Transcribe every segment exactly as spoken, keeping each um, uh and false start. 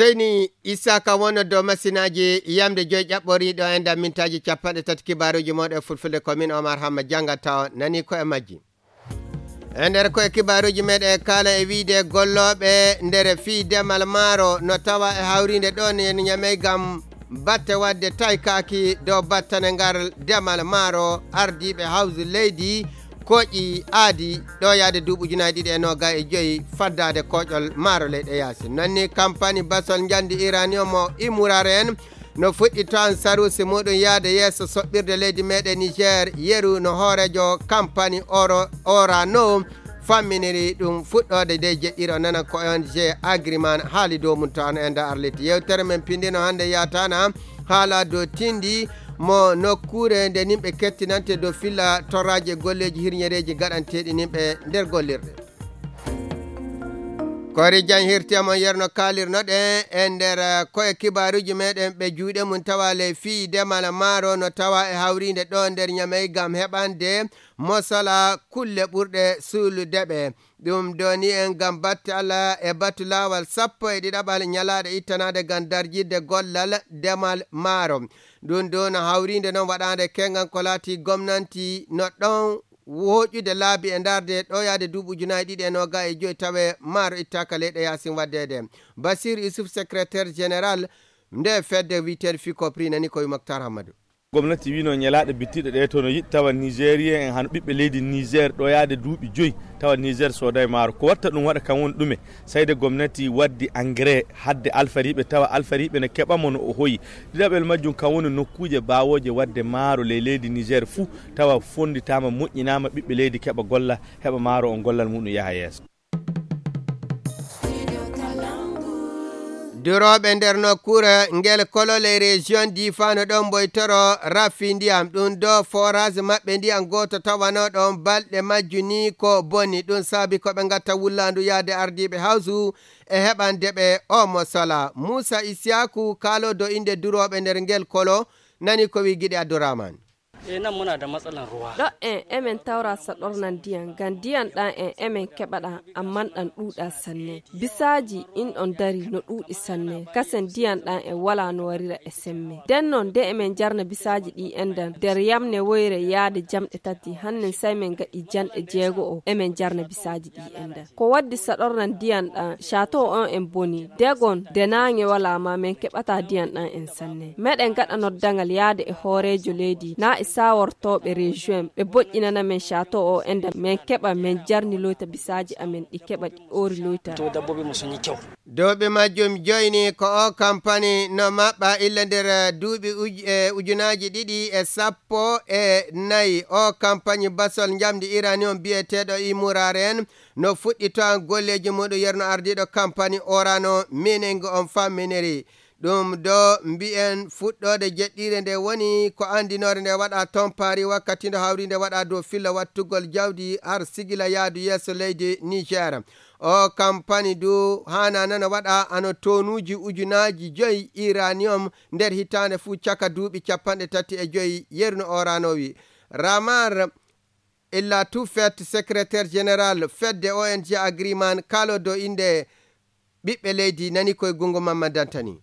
Seyni Issa ka wonno dow masinaaji yamde joyi ƴaɓɓoriiɗo e nder mintaaji capanɗe tati kibaaruuji mooɗon e fulfulde ko min Omar Hamma janngata on nani ko e majji. E nder ko e kibaaruuji meɗen e kaala e wiide gollooɓe nder fii demal maaro no tawa e hawriinde ɗon e Ñamey ngam batte waɗde taykaaki dow battane ngal demal maaro ardiiɓe hawsu leydi kooƴi aadi ɗo yaade duuɓi ujunaaji ɗiɗi e noogay e joyi faddaade kooƴol maaro leyɗe yaasi. Nonni kampani basol njandi iranium o Imuraren no fuɗɗi tan sarusi muɗum yaade yeeso soɓɓirde leydi meɗen Niger yeru no hoorejo kampani oro orano famminiri ɗum fuɗɗoode de jeɗɗiro nana ko O N G Agriman haali dow mum tan e nda arliti. Yewtere men pindino hannde yatana haala dow tindi mo nokkuure nde nimɓe kettinante dow filla torraaji e golleeji hirñereeji gaɗanteeɗi nimɓe nder gollirɗe. Kori jan hirti amon yerno kaalirnoɗen e nder, eh, koye kibaaruji meɗen ɓe juuɗe mum tawa ley fii demal maaro no tawa e hawriinde ɗo nder Ñamey ngam heɓande mosala kulle ɓurɗe suulude ɓe. Ɗum doni en ngam batte Allah e batu laawal sappo e ɗiɗaɓal ñalaaɗe ittanaade ngam darjidde gollal demal maaro. Ɗum ɗo no hawriinde noon waɗaande kengan ko laati gomnanti no ɗon woƴude laabi e ndarde ɗo yaade duuɓi ujunaaji ɗiɗi e nooga e joyi tawe maaro ittaaka leyɗe yaasin waɗdeede. Basir Yusuf, secrétaire général nde fedde wiyeteende Ficopri nani ko wi Moctar Hammadou. Gomnati wino ñalaaɗe bittiɗe ɗe to no yiɗi tawa Nigérien en hano ɓiɓɓe leydi Niger ɗo yaade duuɓi joyi tawa Niger sooday maaro. Ko watta ɗum waɗa kan woni ɗume? Sayde gomnati waddi engrais hadde alfariiɓe tawa alfariiɓe ne keɓa mo no o hoyi. Ɗiɗaɓel majjum kan woni nokkuuje baawooje wadde maaro ley leydi Niger fuu tawa fonnditaama, moƴƴinaama, ɓiɓɓe leydi keɓa golla, heɓa maaro on gollal muɗum yaha yeeso. Durooɓe nder nokkuure ngel kolo ley région Difa no ɗon mboytoro raffi ndiyam. Ɗum ɗo forage maɓɓe ndiyam gooto tawano ɗon balɗe majju ni ko boni. Ɗum saabi ko ɓe ngatta wullaandu yaade ardiiɓe hawsu e heɓande ɓe o mo sola. Muusa Isiyaku kaalo do innde durooɓe nder ngel kolo nani ko wi Giɗi Abdurrahman. E nan muna da matsalan ruwa. Ɗo en emen tawra saɗornan ndiyan, ngam ndiyan ɗan en emen keɓaɗa, amman ɗan ɗuuɗa sanne. Bisaaji in ɗon dari no ɗuuɗi sanne, kasen ndiyan ɗan en wala no warira e semme. Den non nde emen jarna bisaaji ɗi endan, nder yamne woyre yaade jamɗe tati, hannen sai men gaɗi janɗe jeego'o emen jarna bisaaji ɗi endan. Ko waddi saɗornan ndiyan ɗan, château on en boni, degon, de naange wala ma men keɓata ndiyan ɗan en sanne. Meɗen gaɗa noddangal yaade e hooreejo leydi, na e sawortooɓe région, ɓe boƴƴinana men château o endan, men keɓa, men jarni loyta bisaaji amen, ɗi keɓa, ɗi oori loyta. To dabbobi mu sun yi kyau. Dow ɓe majjum joyni ko o kampani no maɓɓa illa nder, eh, duuɓi uj-, eh, ujunaaji ɗiɗi e sappo e nayi. O kampani basol njamdi iranium biyeteeɗo Imuraren no fuɗɗi to an golleeji muɗum yerno ardiiɗo kampani Orano mining on famminiri. Ɗum ɗo mbi'en fuɗɗoode jeɗɗiire nde woni ko anndinoore nde waɗa toon Paris wakkati ndo hawri nde waɗa dow filla wattugol jawdi har sigila yaadu yeeso leydi Niger. O kampani du haana nana waɗa ano tonuuji ujunaaji joyi iranium nder hitaande fuu caka duuɓi capanɗe tati e joyi yerno oranowi. Ramar illa Tufet, secrétaire général fedde O N G Agriman, kaalo dow innde ɓiɓɓe leydi nani koye gungu Mamman Dantani.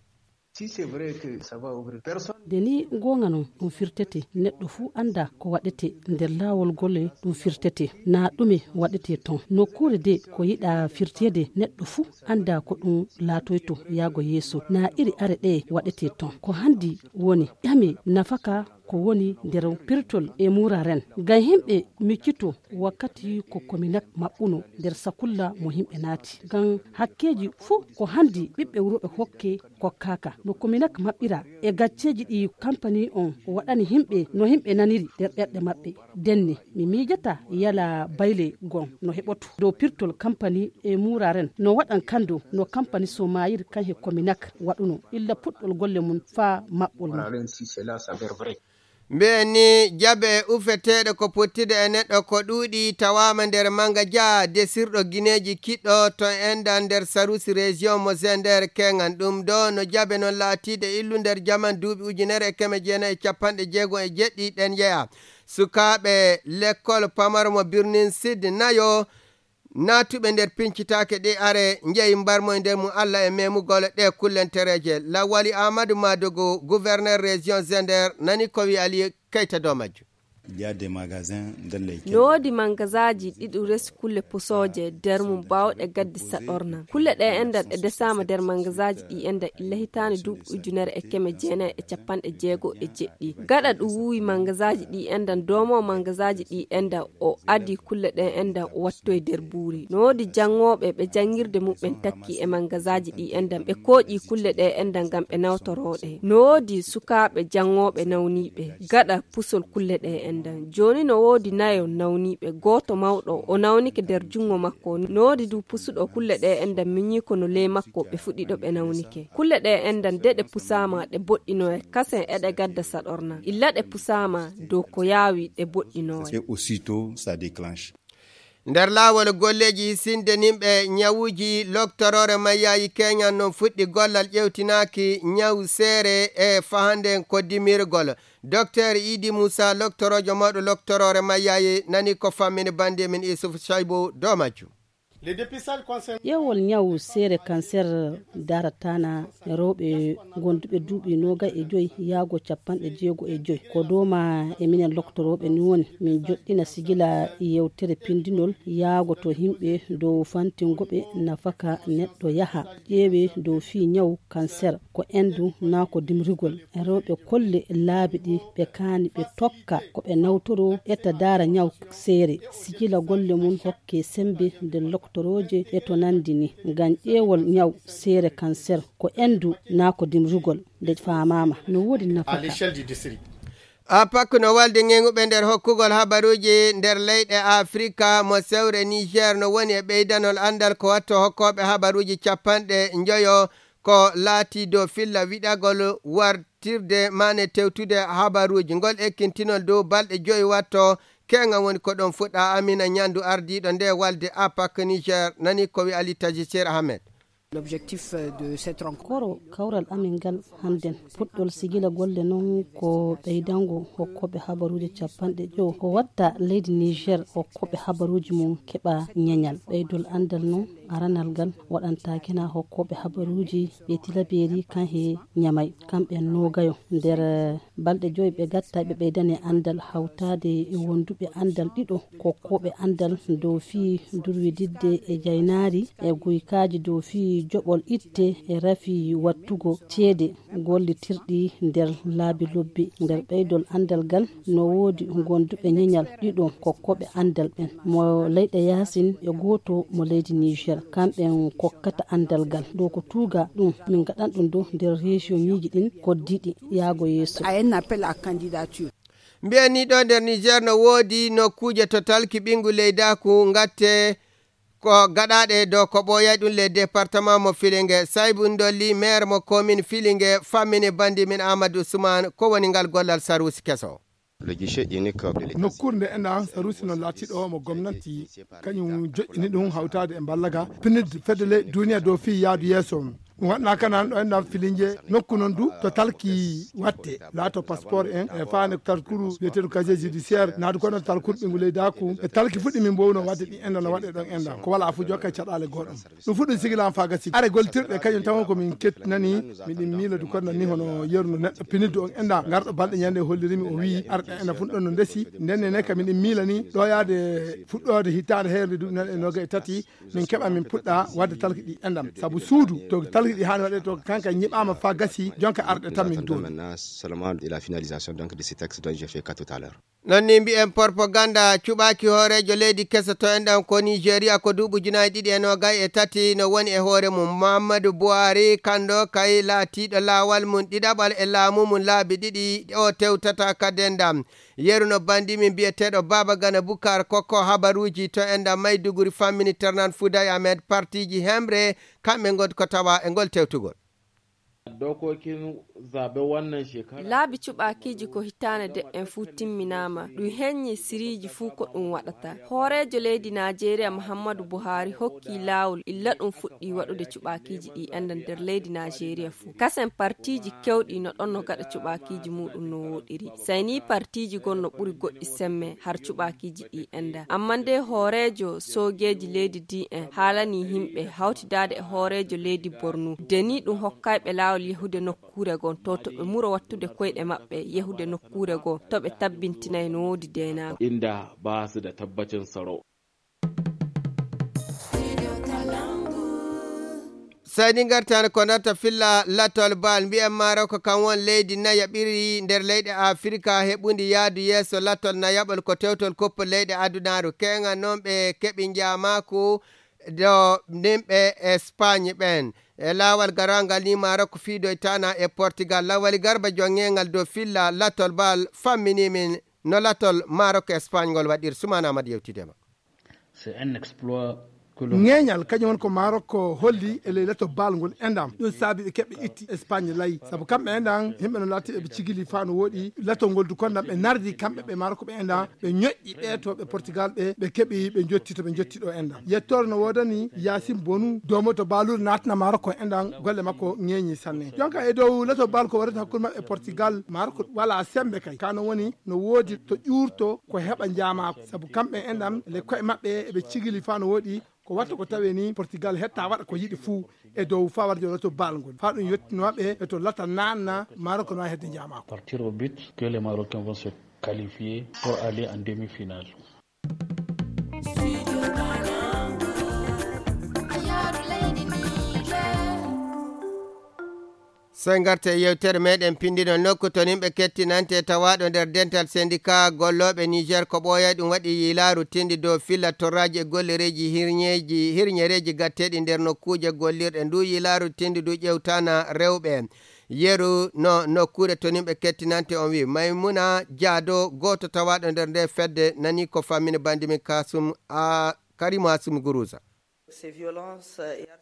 Si c'est vrai que ça va ouvrir personne. Nde ni goonga non ɗum firtete, neɗɗo fuu annda ko waɗete nder laawol gole ɗum firtete, naa ɗume waɗete ton. Nokkuure de ko yiɗa firteede, neɗɗo fuu annda ko ɗum laatoyto yaago yeeso, naa iri are ɗe waɗete ton. Ko hanndi woni ƴame nafaka ko woni nder pirtol e muraren. Ngam yimɓe miccito wakkati ko Kominak maɓɓuno nder sakulla mo yimɓe naati. Ngam hakkeeji fuu ko hanndi ɓiɓɓe wuro ɓe hokke kokkaaka. No Kominak maɓɓira e gacceeji ɗi kampani on waɗani yimɓe, no yimɓe naniri nder ɓerɗe maɓɓe. Denne, mi miijata yala bayle gon no heɓoto dow pirtol kampani e muraren. No waɗan kando no kampani Somayir kan he Kominak waɗuno. Illa puɗɗol golle mum faa maɓɓol mum. Mbiyen ni, jabe ufeteeɗe ko pottude e neɗɗo ko ɗuuɗi, tawaama nder manga ja desirɗo gineeji kiɗɗo to enɗan nder sarusi région mo Zender keŋan. Ɗum ɗo no jabe non laatiide illu nder jaman duuɓi ujunere e keme jeenayi e capanɗe jeego e jeɗɗi ɗen yeya. Sukaaɓe lekkol pamaro mo Birnin Sid nayo Naatuɓe nder pincitaake ɗe are njeyi mbarmoy nder mum Allah e memugol ɗe kullentereeje. Lawali Amadou Madougou, gouverneur région Zender, nani ko wi Ali Keita dow majjum. Il y a des magasins dans lesquels No woodi mangasaaji ɗi ɗum resi kulle pusooje nder mum baawɗe gaddi saɗorna. Kulle ɗe enɗan ɗe desaama nder mangasaaji ɗi enɗan illa hitaande duuɓi ujunere e keme jeenayi e capanɗe jeego e jeɗɗi. Gaɗa ɗum wuuwi mangasaaji ɗi enɗan, doomo mangasaaji ɗi enɗan o adi kulle ɗe enɗan o wattoyi nder buuri. No woodi janngooɓe ɓe janngirde muɓɓen takki e mangasaaji ɗi enɗan ɓe kooƴi kulle ɗe enɗan ngam ɓe nawtoroo ɗe. No woodi sukaaɓe janngooɓe nawniiɓe gaɗa pusol kulle ɗe enɗan. Jooni no woodi nayo nawniiɓe, gooto mawɗo o nawnike nder junngo makko. No woodi du pusuɗo kulle ɗe enɗan miñiiko no ley makko ɓe fuɗɗiɗo ɓe nawnike. Kulle ɗe enɗan de ɗe pusaama ɗe boɗɗinoye, kasen eɗe gadda saɗorna. Illa ɗe pusaama dow ko yaawi ɗe boɗɗinoye. Et aussitôt, ça déclenche. Nder laawol golleeji sinde nimɓe ñawuuji, loktoroore mayyaayi keñan non fuɗɗi gollal ƴewtinaaki ñaw seere e fahande ko dimirgol. Docteur Idi Moussa, loktoroojo mawɗo loktoroore mayyaayi, nani ko fammini bannde men Isuf Shaibu dow majjum. Ƴeewol ñaw seere kanser darataana rewɓe gonduɓe duuɓi noogay e joy yaago capanɗe jeego e joy. Ko dooma e minen loktorooɓe ni woni min joɗɗina sigila yewtere pindinol yaago to himɓe dow fantingoɓe nafaka neɗɗo yaha ƴeewe dow fii ñaw kanser ko endu naa ko dimrigol. Rewɓe kolle laabi ɗi ɓe kaani ɓe tokka ko ɓe nawtoro etta daara ñaw seere. Sigila golle mum hokke sembe nde loktorooje e to nandi ni. Ngam ƴeewol ñaw seere kanser ko endu naa ko dimrugol nde faamaama no woodi nafaka. Apak no walde ŋeŋuɓe nder hokkugol habaruuji nder leyɗe Afrika mo sewre Niger no woni e ɓeydanol anndal ko watto hokkooɓe habaruuji capanɗe njoyo ko laati dow filla wiɗagol wartirde maane tewtude habaruuji. Ngol ekkintinol dow balɗe joyi watto keŋa woni ko ɗon fuɗɗa. Amina Ñandu ardiiɗo nde walde Apak Niger nani ko wi Ali Taji Ser Ahmed. L'objectif, euh, de cette rencontre. Koro kawral amin ngal hannden puɗɗol sigila golle noon ko ɓeydango hokkooɓe habaruuji capanɗe jowo ko watta leydi Niger hokkooɓe habaruuji mum keɓa ñeñal. Ɓeydol anndal noon aranal ngal waɗantaake na hokkooɓe habaruuji ɓe Tilabeeri kan he Ñamay kamɓe noogayo nder balɗe joyi ɓe gatta ɓe ɓeydane anndal hawtaade e wonduɓe anndal ɗiɗo kokkooɓe anndal dow fii durwididde e jaynaari e guykaaji dow fii joɓol itte e rafi wattugo ceede gollitirɗi nder laabi lobbi. Nder ɓeydol anndal ngal no woodi gonduɓe ñeñal ɗiɗo kokkooɓe anndal ɓen mo leyɗe yaasin e gooto mo leydi Niger. Kamɓen kokkata anndal ngal dow ko tuuga ɗum min ngaɗan ɗum dow nder région ñiiji ɗin koddiɗi yaago yeeso. Mbiyen ni ɗo nder Niger no woodi nokkuuje to talki ɓinngu leydaaku ngatte ko gaɗaaɗe dow ko ɓooyay ɗum le département mo Filinge. Saybu Ndolli, maire mo commune Filinge, fammini bandi min Amadou Ousmane ko woni ngal gollal saruusi keso. Le guichet unique de l'État. Nokkuure nde enɗan saruusi noon laatiiɗo mo gomnanti kañum joƴƴini ɗum hawtaade e mballaga pinid fedde ley duniya dow fii yaadu yeeso. Ɗum waɗnaaka nan ɗo enɗan Filinge nokku noon du to talki watte laato passeport en e faane talkuru wiyeteeɗo casier judiciaire naadu kono talkuru ɓinngu leydaaku e talki fuɗɗi min mbowno waɗde ɗi enɗan no waɗe ɗon enɗan ko wala fu jokka caɗaale goɗɗum. Ɗum fuɗɗum sigilaama faa gasi are gollitirɗe kañum tawon ko min kettinani miɗen miilodi kono ni hono yeru no neɗɗo piniddu on enɗa ngarɗo balɗe ñande hollirimi o wii arɗe ena fun ɗon no ndesi ndenne ne ka miɗen miilani ɗo yaade fuɗɗoode hitaande heerde duuɓi nan e noga e tati min keɓa min puɗɗa wadde talki ɗi enɗam sabu suudu to talki ɗi haani waɗe to kanka ñiɓama faa gasi jonka arɗe tan min dooni. Maintenant seulement de la finalisation donc de ce texte dont j'ai fait cas tout à l'heure. Non ni mbi'en propaganda cuɓaaki hooreejo leydi keso to enɗan ko Nigeria ko duuɓi ujunaaji ɗiɗi e noogay e tati no woni e hoore mum. Muhammadu Buhari kanndo kay laatiiɗo laawal mum ɗiɗaɓal e laamu mum laabi ɗiɗi o tewtata ka dendam. Yeru no banndi min biyeteeɗo Baaba Gana Bukar kokko habaruuji to enɗan Maiduguri fammini Ternan Fuday Ahmed partiiji hemre kamɓe ngoni ko tawa e ngol tewtugol. Dokokin zaɓe wannan shekara. Laabi cuɓaakiiji ko hitaande de'en fuu timminaama. Ɗum heññi siriiji fuu ko ɗum waɗata. Hooreejo leydi Naajeeriya Muhammadu Buhari hokki laawol illa ɗum fuɗɗi waɗude cuɓaakiiji ɗi enda nder leydi Naajeeriya fuu. Kasen partiiji kewɗi no ɗon no gaɗa cuɓaakiiji muuɗum no wooɗiri. Sai ni partiiji gon no ɓuri goɗɗi semme har cuɓaakiiji ɗi enda. Amma nde hooreejo soogeeji leydi D N haalani himɓe hawtidaade e hooreejo leydi Borno. Deni ɗum hokkayɓe laawol yahude nokkuure gon to, to ɓe muro wattude koyɗe maɓɓe yahude nokkuure gon to ɓe tabbintinay no woodi deenaagu. Inda ba su da tabbacin tsaro. Seydi ngartan ko natta filla latol bal mbiyen Maroko kan won leydi nayaɓiri nder leyɗe Afirka heɓundi yaadu yeeso latol nayaɓol ko tewtol koppo leyɗe adunaaru. Keŋa noon ɓe keɓi njaamaaku do nimɓe Espagne ɓen. E laawal garangal ni Maroko fiidoytana e Portugal. Lawali Garba jonŋeŋal dow filla latol bal fammini min no latol Maroko Espagne ngol waɗir. Sumana Amad yewtide ma. C'est un exploit. Ŋeeñal kañum won ko Maroko holli e ley lato bal ngol endam. Ɗum saabi ɓe keɓɓe itti Espagne layi. Sabu kamɓe endan, yimɓe no laati eɓe cigili faa no woɗi. Lato ngol du kondam ɓe nardi kamɓe ɓe Maroko ɓe endan. Ɓe ñoƴƴi ɓe to ɓe Portugal ɓe, ɓe keɓi ɓe jotti to ɓe jotti ɗo endan. Yettoore no woodani Yaasin Bonu, doomo to baalur naatna Maroko endan, golle makko ŋeeñi sanne. Jonka e dow lato bal ko warata hakkunde maɓɓe e Portugal, Maroko wala sembe kay. Kano woni no woodi to ƴuurto ko heɓa njaamaako. Sabu kamɓe enɗam, le koye maɓɓe eɓe cigili faa no woɗi, ko watta ko tawe ni Portugal hetta waɗa ko yiɗi fuu e dow faa warde lato bal ngol. Faa ɗum yettino maɓɓe e to lata naanna Maroko no hedde njaamaako. Partir au but que les Marocains vont se qualifier pour aller en demi-finale. Sey ngarten e yewtere meɗen pinndinol nokku to nimɓe kettinante tawaaɗo nder dental sendika gollooɓe Niger ko ɓooyay ɗum waɗi yiilaaru tindi dow filla torraaji e gollereeji hirñeeji, hirñereeji gatteeɗi nder nokkuuje gollirɗe. Ndu yiilaaru tindi ndu ƴewtana rewɓe. Yeru no nokkuure to nimɓe kettinante on wi Maymuna Jaado, gooto tawaaɗo nder nde fedde, nani ko fammini bandi min Kasum a Karimu Asum Guruza.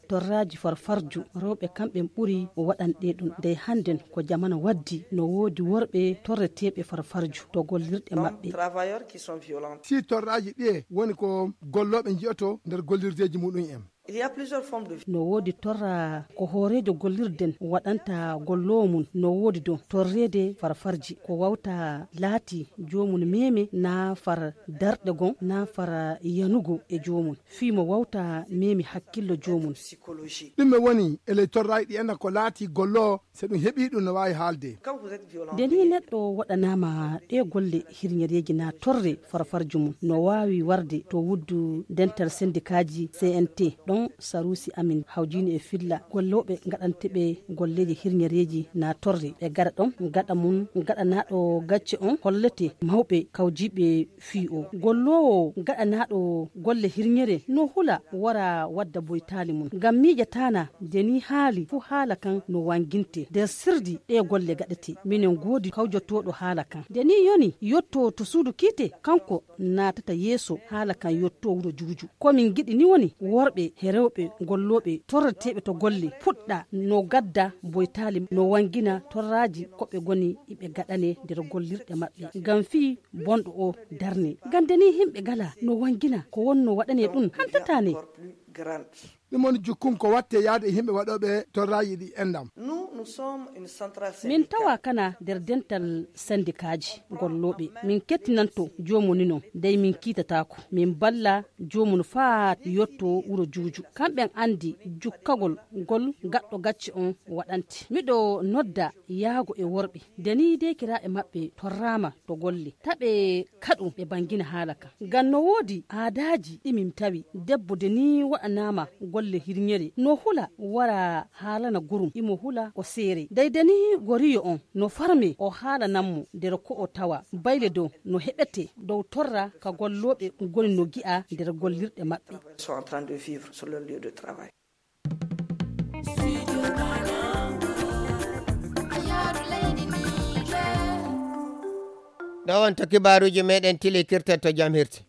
Torraaji farfarju, rewɓe kamɓe ɓuri waɗanɗe ɗum. Ndey hannden ko jamanu waddi, no woodi worɓe torreteeɓe farfarju to gollirɗe maɓɓe. Si torraaji ɗiye woni ko gollooɓe njiyoto nder gollirdeeji muɗum en. No woodi torra ko hooreejo gollirden waɗanta golloowo mum, no woodi don torreede farfarji ko wawta laati joomum meeme naa far darɗe gon naa far yanugo e joomum. Fii mo wawta meemi hakkillo joomum. Ɗum e woni e ley torraaji ɗi enɗan ko laati golloowo, so ɗum heɓii ɗum no waawi haalde. Nde ni neɗɗo waɗanaama ɗe golle hirñereeji naa torre farfarju mum, no waawi warde to wuddu dental sendikaaji C N T. Ɗon saruusi amin hawjiino e filla gollooɓe ngaɗanteɓe golleeji hirñereeji naa torre. Ɓe gaɗa ɗon gaɗa mum gaɗanaaɗo gacce on hollete mawɓe kawjiiɓe fii o. Golloowo gaɗanaaɗo golle hirñere no hula wara wadda boytaali mum. Ngam miijataana nde ni haali fuu haala kan no wanginte. Nder sirdi ɗe golle gaɗete. Minen goodi kawjotooɗo haala kan. Nde ni yoni yotto to suudu kiite, kanko naatata yeeso haala kan yotto wuro juuju. Ko min ngiɗi ni woni worɓe he rewɓe gollooɓe torreteeɓe to golle puɗɗa no gadda boytaali no wangina torraaji ko ɓe goni iɓe gaɗane nder gollirɗe maɓɓe. Ngam fii bonɗo o darne. Gande ni himɓe gala no wangina ko wonno waɗane ɗum hantatane. Ɗum woni jukkum ko watte yaade e yimɓe waɗooɓe torraaji ɗi enɗam. Min tawa kana nder dental sendikaaji gollooɓe. Min kettinanto joomum ni non, dey min kiitataako. Min balla joomum faa yotto wuro juuju. Kamɓen anndi jukkagol gol gaɗɗo gacce on waɗante. Miɗo nodda yaago e worɓe. Nde ni deekiraaɓe maɓɓe torraama to golle. Taɓe kaɗu ɓe bangina haala kan. Ngam no woodi aadaaji ɗi min tawi. Debbo nde ni waɗanaama golle hirñere. No hula wara haalana gurum. Imo hula ko seere. Dey nde ni goriyo on no farme o haalanan mo nder ko o tawa. Bayle dow no heɓete dow torra ka gollooɓe ngoni no gi'a nder gollirɗe maɓɓe. Sont en train de vivre sur leur lieu de travail. Ɗo on to kibaaruuji meɗen tilikirta to jam hirti.